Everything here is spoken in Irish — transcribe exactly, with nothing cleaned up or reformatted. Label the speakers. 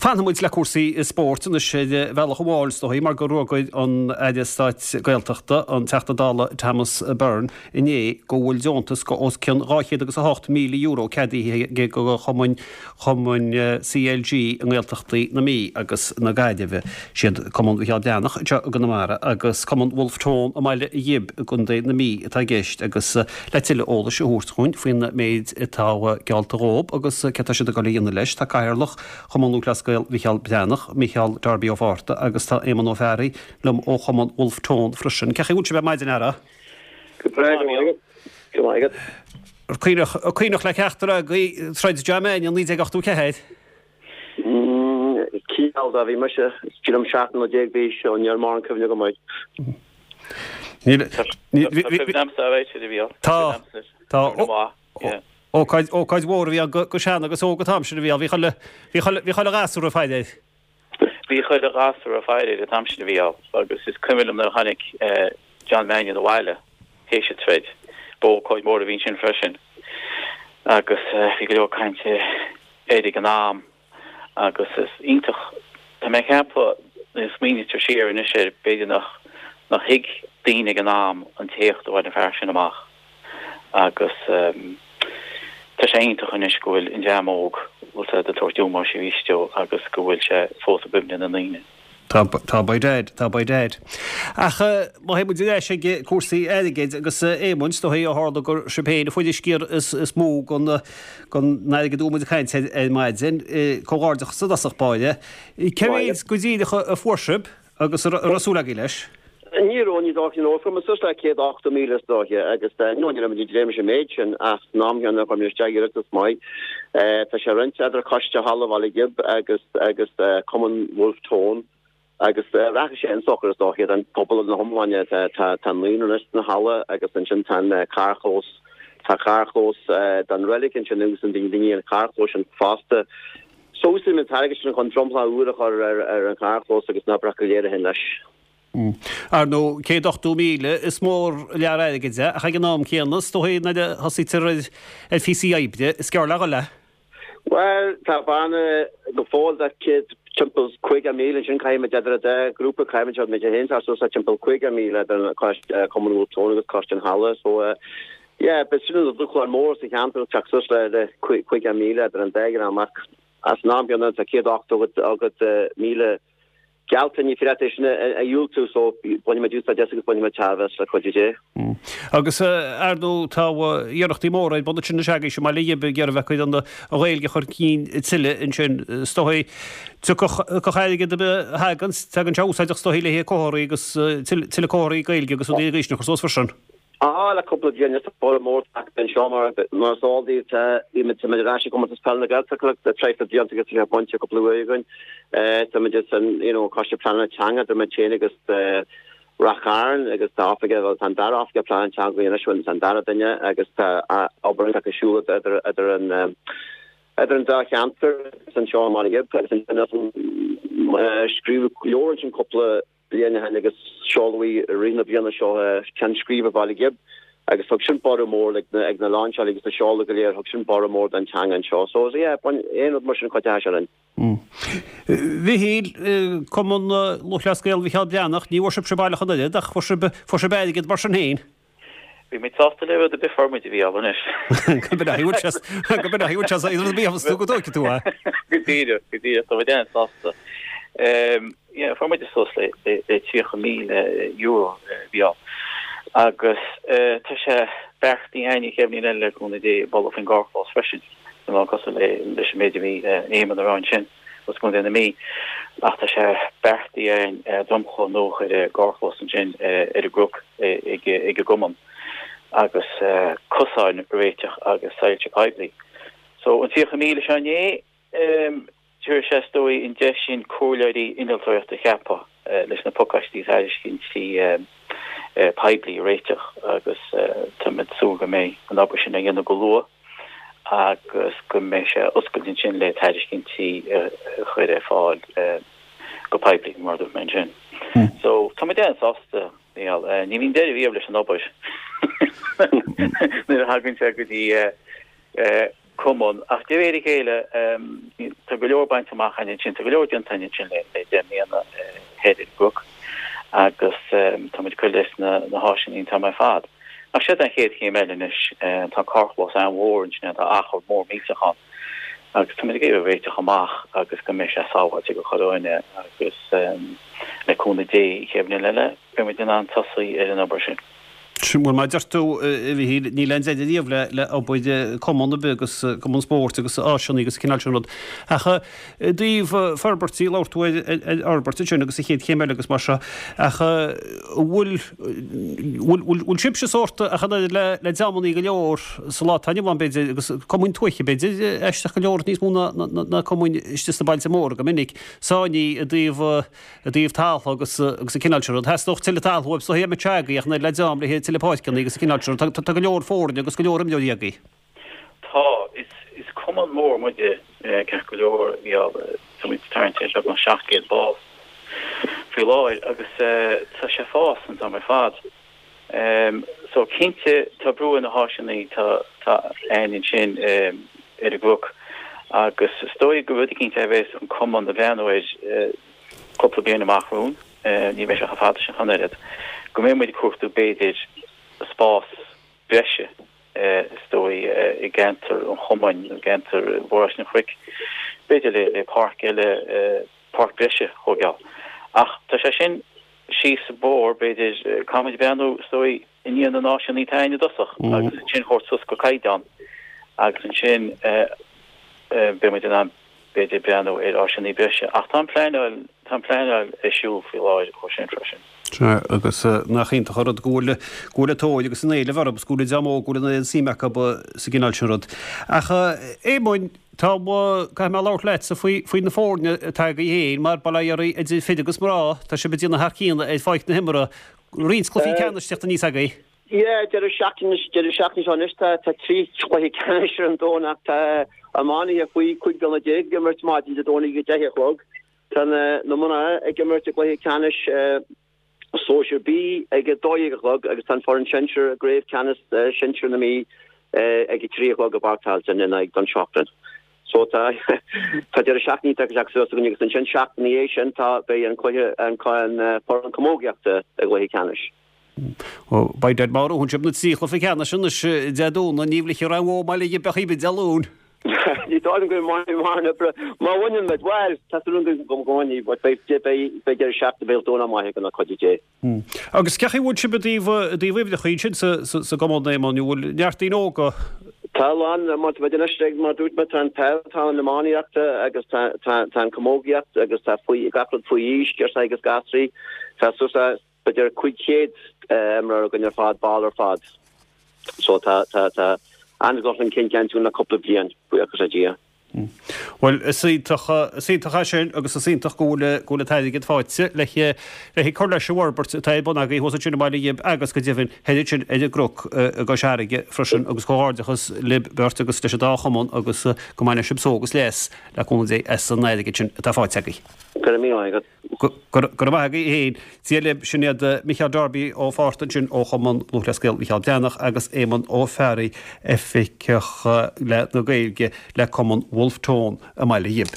Speaker 1: Fanfaidh muid le cúrsaí spóirt anois ar bhealach amháin is dóigh mar gur fhógair an Aire Stáit Gaeltachta, an Teachta Dála Thomas Byrne, inné go bhfuil deontas go os cionn dhá chéad agus a hocht míle euro ceadaithe aige do chumainn chumainn CLG i nGaeltachtaí na Mí agus na Gaillimhe. Siad Cumann Mhicheál Breathnach anseo i gConamara agus Cumann Wolfe Tone i mBaile Ghib i gContae na Mí atá i gceist agus le tuilleadh eolais a thabhairt dhúinn faoin méid atá geallta dhóib agus céard tá siad ag dul a dhéanamh leis, tá Cathaoirleach Chumann Lúthchleas Gael Mhicheál Breathnach, Micheál Darby Ó Fátharta agus tá Éamonn Ó Fearraigh liom ó Chumann Wolfe Tone freisin. Cén chaoi a bhfuil sibh ar maidin, a fheara?
Speaker 2: Go breá, go maith agat. Go maith agat.
Speaker 1: Cuimhneach, cuimhneach le ceachtar agaibh troid John Mannion naoi déag ochtó ceathair?
Speaker 2: Cineál de, bhí mise, sílim seacht mbliana déag d'aois, so níl mórán cuimhne agam air.
Speaker 1: Níl,
Speaker 3: Tá cuimhne agamsa air, a Mhícheáil.
Speaker 1: Tá, tá.
Speaker 3: Cuimhne mhaith, yeah.
Speaker 1: Ócáid, ócáid mhór a bhí ann go, go sean agus óg an t-am sin a bhí ann. Bhí chuile, bhí chuile, bhí chuile ghasúr ag faire air.
Speaker 3: Bhí chuile ghasúr ag faire air an t-am sin a Mhícheáil agus is cuimhin liom nuair a tháinig John Mannion abhaile théis an troid. Ba ócáid mhór a bhí ansin freisin agus bhí go leor cainte air ag an am agus is iontach, tá mé ag ceapadh nuair a smaoinítear siar anois air, b'fhéidir nach, nach thuig daoine ag an am an t-éacht a bhain an fear sin amach. Agus tá sé iontach anois go bhfuil an dream óg, bhfuil siad ag tabhairt ómóis arís dó agus go bhfuil sé fós i gcuimhne na ndaoine.
Speaker 1: Tá, tá by dad, tá by dad. Ach má théann muid ar ais ag cúrsaí airgid agus Éamonn, is dóigh ó tharla gur sibh féin a fuair an sciar is, is mó den, den airgead a bhfuil muid ag caint air ar maidin, comhghairdeachas i dtosach báire. Cé mhéad go díreach a fuair sibh? Agus an raibh súil agaibh leis?
Speaker 2: Ní raibh, ní dócha, nó fuair muid suas le céad ochtó míle is dóiche agus no ní raibh muid ag dréim leis an méid sin ach san am chéanna chuir muid isteach iarratas maith. Tá sé roinnte idir Coiste Halla Bhaile Ghib agus agus Cumann Wolfe Tone agus rachaidh sé chun sochair is dóiche don phobal ina hiomláine. Tá tá tá naíonra anois sna halla agus ansin tá an carrchlós tá carrchlós don reilig ansin agus an daoine an carrchlós sin fosta. So úsáidfidh muid an t-airgead sin chun dromchla úr a chur ar an charrchlós agus na hoibreacha go léir a théann leis.
Speaker 1: Ar ndóigh, céad ochtó míle, is mór lear airgid é, ach ag an am céanna, is dóigh nuair a thosaítear ar phíosaí oibre, is gearr le dhul é.
Speaker 2: Bhuel, tá bearna go fóill de céad, timpeall caoga míle ansin, caithfidh muid idir an dá ghrúpa, caithfidh muid, muid féin, tá suas le timpeall caoga míle idir an Coiste, Cumann Wolfe Tone agus Coiste an Halla, so yeah, b'in sin an dúshlán mór sa cheantar, teacht suas le caoga míle idir an dá dhream ach Ach san am céanna tá céad ochtó agat míle geallta, ní féidir leat é sin a dhiúltú so bainfidh muid úsáid as agus bainfidh muid tairbhe as le cuidiú Dé.
Speaker 1: Agus ar ndóigh tá iarrachtaí móra ar bun ansin anois agaibhse i mBaile Ghib ag iarraidh bheith ag cur an Ghaeilge chun cinn tuilleadh ansin. Is dóigh tiocfadh airgead ar bith a thagann, tagann sé úsáideach is dóigh le haghaidh comharthaí agus tuilleadh comharthaí Gaeilge agus rudaí agaibhse a chur suas freisin.
Speaker 2: Á, le cúpla bliain anuas tá borradh mór tagtha anseo mar mar is eol daoibh tá bhí muid tá muid ar ais i gcomórtas peile na Gaeltachta le traidhfil blianta agus tá sé bainte cúpla uair againn. Tá muid san you know coiste pleanála teanga idir muid féin agus Rath Chairn agus tá oifigeach bhuel tá an dara oifigeach pleanála teanga againn anois bhuel tá an dara duine agus tá obair iontach ar siúl idir idir an idir an dá cheantar agus anseo i mBaile Ghib agus ansin scríobhadh leabhar ansin cúpla bliain ó shin agus seoladh í i rith na bliana seo Ceann Scríbe Bhaile Ghib agus thug sin borradh mór ag na ag na lainseáil agus na seoladh go léir thug sin borradh mór don teanga anseo so yeah bain aon rud mar sin cuideoidh sé linn.
Speaker 1: Mhichíl, Cumann Lúthchleas Gael Mhicheál Breathnach, ní bhfuair sibhse baileach an oiread ach fuair sibh fuair sibh airgead mar sin féin.
Speaker 3: Bhí muid sásta le rud ar bith a fuair muid a Mhícheál anois.
Speaker 1: Go mbeidh go mbeidh sé rud ar bith tú go dtóigfidh tú é.
Speaker 3: Go díreach, go díreach, tá muid an-sásta. Yeah, fuair muid suas le le tríocha míle euro a Mhícheál. Agus tá sé beartaithe againn an chéad bhliain eile le cúnamh Dé bualadh faoin gcarrchlós freisin, cineál cosúil le leis an méid a bhí Éamonn a rá ansin. as Contae na Mí, ach tá sé beartaithe againn dromchla nua a chur ar an gcarrchlós ansin ar an gcnoc ag an gcumann agus cosáin a réiteach agus soilse poiblí. So an tríocha míle seo inné, tabharfaidh sé is dóigh an deis sin comhairleoirí innealtóireachta a cheapadh leis na pacáistí tairiscintí poiblí a réiteach agus táimid ag súil go mbeidh an obair sin á dhéanamh go luath. agus go mbeidh sé oscailte ansin le tairiscintí a chur ar fáil go poiblí, mar a dúirt mé ansin. So, tá muid an-sásta, Mícheál. Ní bhíonn deireadh riamh leis an obair nuair a thagann sé go dtí cumann ach de réir a chéile tá go leor bainte amach againn ansin, tá go leor déanta againn ansin le deich mbliana thoir ar an gCnoc agus tá muid ag cur leis na háiseanna an t-am ar fad. Ach siod an chéad chéim eile anois, tá carrchlós an-mhór ansin, tá achar mór millteach ann agus tá muid ag iarraidh réiteach amach agus go mbeidh sé sábháilte do chuile dhuine agus le cúnamh Dé an chéad bhliain eile beidh muid in ann tosaí ar an obair sin.
Speaker 1: Bhuel, mar a deir tú, a Mhichíl, níl aon deireadh riamh le le obair cumann ar bith agus cumann spóirt agus áiseanna agus an cineál sin rud. Ach i dtaobh forbairtí, labhair tú ar fhorbairt ansin agus an chéad chéim eile agus mar seo, ach bhfuil bhfuil bhfuil sibhse sórt ach an oiread le le dreamannaí go leor sa lá atá inniu ann b'fhéidir agus cumainn tuaithe b'fhéidir aisteach go leor níos mó ná ná cumainn istigh sna bailte móra go minic, sáinnithe i dtaobh i dtaobh taltha agus agus an cineál sin rud. Theastódh tuilleadh taltha uaibh so théadh agaibh ach an oiread le dream le tuilleadh páirceanna agus an cineál sin rud. Tá go leor foirne agus go leor imreoirí agaibh.
Speaker 3: Tá. Is is cumann mór muide ceart go leor. Bhí tá muid tarraingt ar beagnach seacht gcéad ball faoi láthair agus tá sé ag fás an t-am ar fad. So cinnte tá brú ar na háiseanna tá tá againn ansin ar an gCnoc agus is dóigh gur rud eicínt é a bheas an cumann ag breathnú air cúpla bliain amach romhainn, ní bheidh sé chomh fada sin ach an oiread, go mbeidh muid ag cuartú b'fhéidir spás breise is dóigh i gceantar an chumainn, i gceantar Mhaoráiste an Chnoic, b'fhéidir le le páirc eile, páirc breise a thógáil. Ach tá sé sin síos an bóthar, b'fhéidir, caithfidh muid breathnú is dóigh i ndiaidh na n-áiseanna atá againn i dtosach agus ansin a thabhairt suas go caighdeán agus ansin beidh muid in ann b'fhéidir breathnú ar áiseanna breise. Ach tá an pleanáil, tá an pleanáil ar siúl faoi láthair dhó sin freisin.
Speaker 1: Sea, agus nach iontach an rud go bhfuil, go bhfuil an tóir agus an éileamh orthu agus go bhfuil an dream óg, go bhfuil an suim acu sa gcineál sin rud. Ach Éamoinn, tá, caithfidh mé labhairt leatsa faoi, faoi na foirne atá agaibh féin mar bail ó Dhia oraibh idir fir agus mná, tá sibh ag déanamh thar cionn ar pháirc na himeartha. Roinnt cluichí ceannais teacht aníos agaibh.
Speaker 2: Yeah, deireadh seachtaine, deireadh seachtaine seo anois tá tá trí chluiche ceannais ar an Domhnach. Tá iománaithe faoi cúig bliana déag ag imirt maidin Dé Domhnaigh ag a deich a chlog. Tá na na mná ag imirt i gcluiche ceannais Sóisir B ag a dó dhéag a chlog agus tá an foireann sinsir i gcraobh ceannais sinsir na Mí ag a trí a chlog i bPáirc Tailteann in aghaidh Dún Seachrann. So tá tá deireadh seachtaine iontach ag teacht suas againn agus ansin seachtain ina dhiaidh sin tá beidh an cluiche an an foireann camógaíochta i gcluiche ceannais.
Speaker 1: Ó, beidh dead mar thug sibh na trí chluiche ceannais anois Dé Domhnaigh, ní bhlisfidh aon bhó i mBaile Ghib a choíche Dé Luain.
Speaker 2: Ní dóigh liom go mbainfidh mórán oibre. Má bhaineann muid, bhuel, tá súil agam go mbainfidh, but beidh beidh beidh deireadh seachtaine beidh Domhnach maith againn le cuidiú Dé.
Speaker 1: Agus cén chaoi a bhfuil sibh i dtaobh i dtaobh uimhreacha ansin sa sa sa gcumann, Éamonn, an bhfuil neart daoine óga?
Speaker 2: Tá a lán, mar tá muid anois ag, mar dúirt mé, tá an peil, tá an iománaíocht agus tá tá tá an camógaíocht agus tá faoi gach rud faoi aois, girseachaí agus gasraí, tá suas le b'fhéidir cúig chéad imreoir againn ar fad, ball ar fad. So tá, tá, tá an-dhul chun cinn déanta againn le cúpla bliain, buíochas le Dia.
Speaker 1: Bhuel, is iontach, is iontach é sin agus is iontach go bhfuil, go bhfuil an t-airgead faighte le, le cur leis an bhforbairt atá ar bun agaibh thuas ansin i mBaile Ghib agus go deimhin thoir ansin ar an gCnoc i gCois Fharraige freisin agus comhghairdeachas libh beirt agus leis an dá chumann agus go mbaine sibh só agus leas le cúnamh Dé as an airgead sin atá faighte agaibh.
Speaker 2: Go raibh míle maith agat.
Speaker 1: Go raibh maith agaibh féin. Dia libh, sin iad Micheál Darby Ó Fátharta ansin ó Chumann Lúthchleas Gael Mhicheál Breathnach agus Éamonn Ó Fearraigh, Oifigeach le na Gaeilge le Cumann Wolfe Tone i mBaile Ghib.